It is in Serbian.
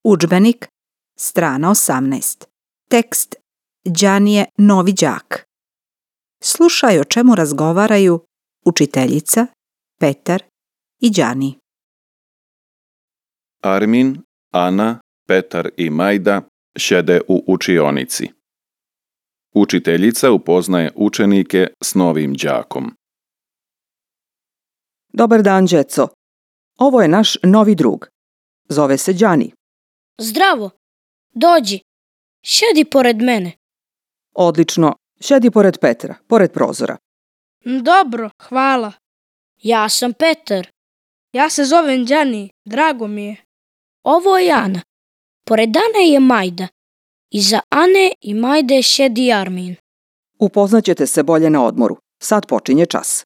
Udžbenik, strana 18. Tekst Đanije novi đak. Slušaj o čemu razgovaraju učiteljica, Petar i Đani. Armin, Ana, Petar i Majda sjede u učionici. Učiteljica upoznaje učenike s novim đakom. Dobar dan, djeco. Ovo je naš novi drug. Zove se Đani. Zdravo, dođi, sjedi pored mene. Odlično, sjedi pored Petra, pored prozora. Dobro, hvala. Ja sam Petar. Ja se zovem Đani, drago mi je. Ovo je Ana. Pored Ane je Majda. Iza Ane i Majde sjedi Armin. Upoznaćete se bolje na odmoru. Sad počinje čas.